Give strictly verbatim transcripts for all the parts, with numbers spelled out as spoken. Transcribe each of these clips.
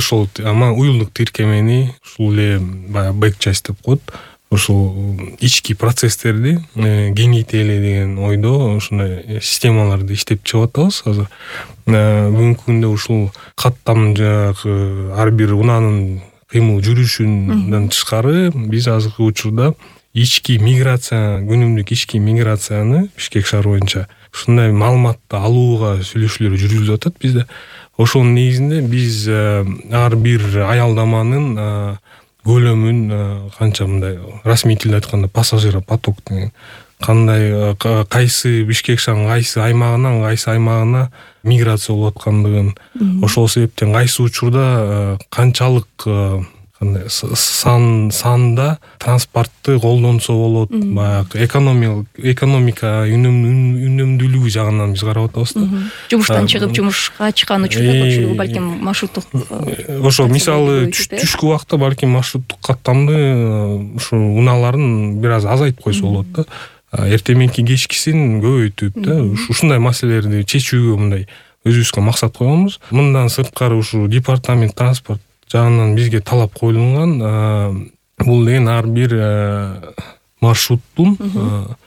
ошол ама уюлдук тиркемени ушул эле баягы бэк часть деп коет. Ошол ички процесстерди кеңейтели деген ойдо ушундай системаларды иштеп чыгып атабыз азыр. Бүгүнкү күндө ушул каттам жанагы ар бир унаанын кыймыл жүрүшүнөн тышкары биз азыркы учурда ички миграция, күнүмдүк ички миграцияны Бишкек шаары боюнча ушундай маалыматты алууга сүйлөшүүлөр жүргүзүлүп атат бизде. Ошонун негизинде биз ар бир аялдаманын көлөмүн канча мындай расмий тилде айтканда пассажиропоток деген кандай кайсы Бишкек шаарынын кайсы аймагынан кайсы аймагына миграция болуп аткандыгын, ошол себептен кайсы учурда канчалык кандай сан санда транспортты колдонсо болот, баягы экономия экономика үнөмдүүлүгү жагынан биз карап атабыз да. Жумуштан чыгып жумушка чыккан учурда көпчүлүгү балким маршруттук ошо мисалы түшкү убакта балким маршруттук каттамды ушу унааларын бир аз азайтып койсо болот да. Эртең мененки кечкисин көбөйтүп да ушундай маселелерди чечүүгө мындай өзүбүзгө максат койгонбуз. Мындан сырткары ушу департамент транспорт жагынан бизге талап коюлган, бул деген ар бир маршруттун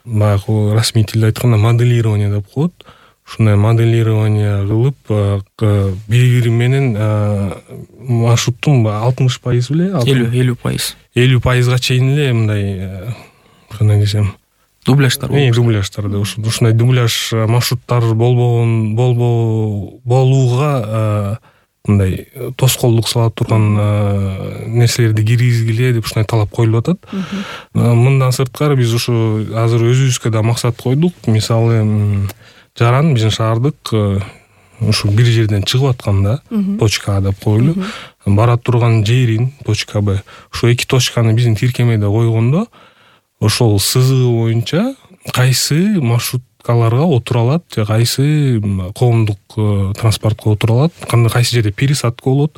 баягы расмий тилде айтканда моделирование деп коет. Ушундай моделирование кылып бири-бири менен маршруттун алтымыш пайыз беле элүү пайыз элүү пайызга чейин эле мындай кандай десем дубляждар дубляждар ушундай дубляж маршруттар болбогон болбоо болууга мындай тоскоолдук сала турган нерселерди киргизгиле деп ушундай талап коюлуп атат. Мындан сырткары биз ушу азыр өзүбүзгө да максат койдук. Мисалы жаран биздин шаардык ушу бир жерден чыгып атканда точка А деп коелу, бара турган жерин точка Б. Ушу эки точканы биздин тиркемеде койгондо ошол сызыгы боюнча кайсы маршруткаларга отура алат же кайсы коомдук транспортко отура алат, кандай кайсы жерде пересадка болот.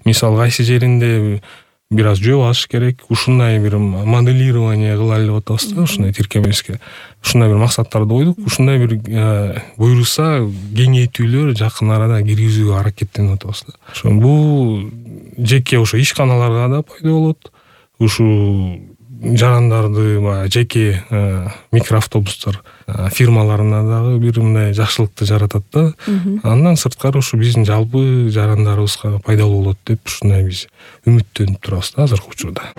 Мисалы кайсы жеринде бир аз жөө басыш керек. Ушундай бир моделирование кылалы деп атабыз да ушундай тиркемебизге. Ушундай бир максаттарды койдук. Ушундай бир буйруса кеңейтүүлөр жакын арада киргизүүгө аракеттенип атабыз да. Ошо бул жеке ошо ишканаларга да пайда болот. Ушу жарандарды баягы жеке микроавтобустар фирмаларына дагы бир мындай жакшылыкты жаратат да. Андан сырткары ушу биздин жалпы жарандарыбызга пайдалуу болот деп ушундай биз үмүттөнүп турабыз да азыркы учурда.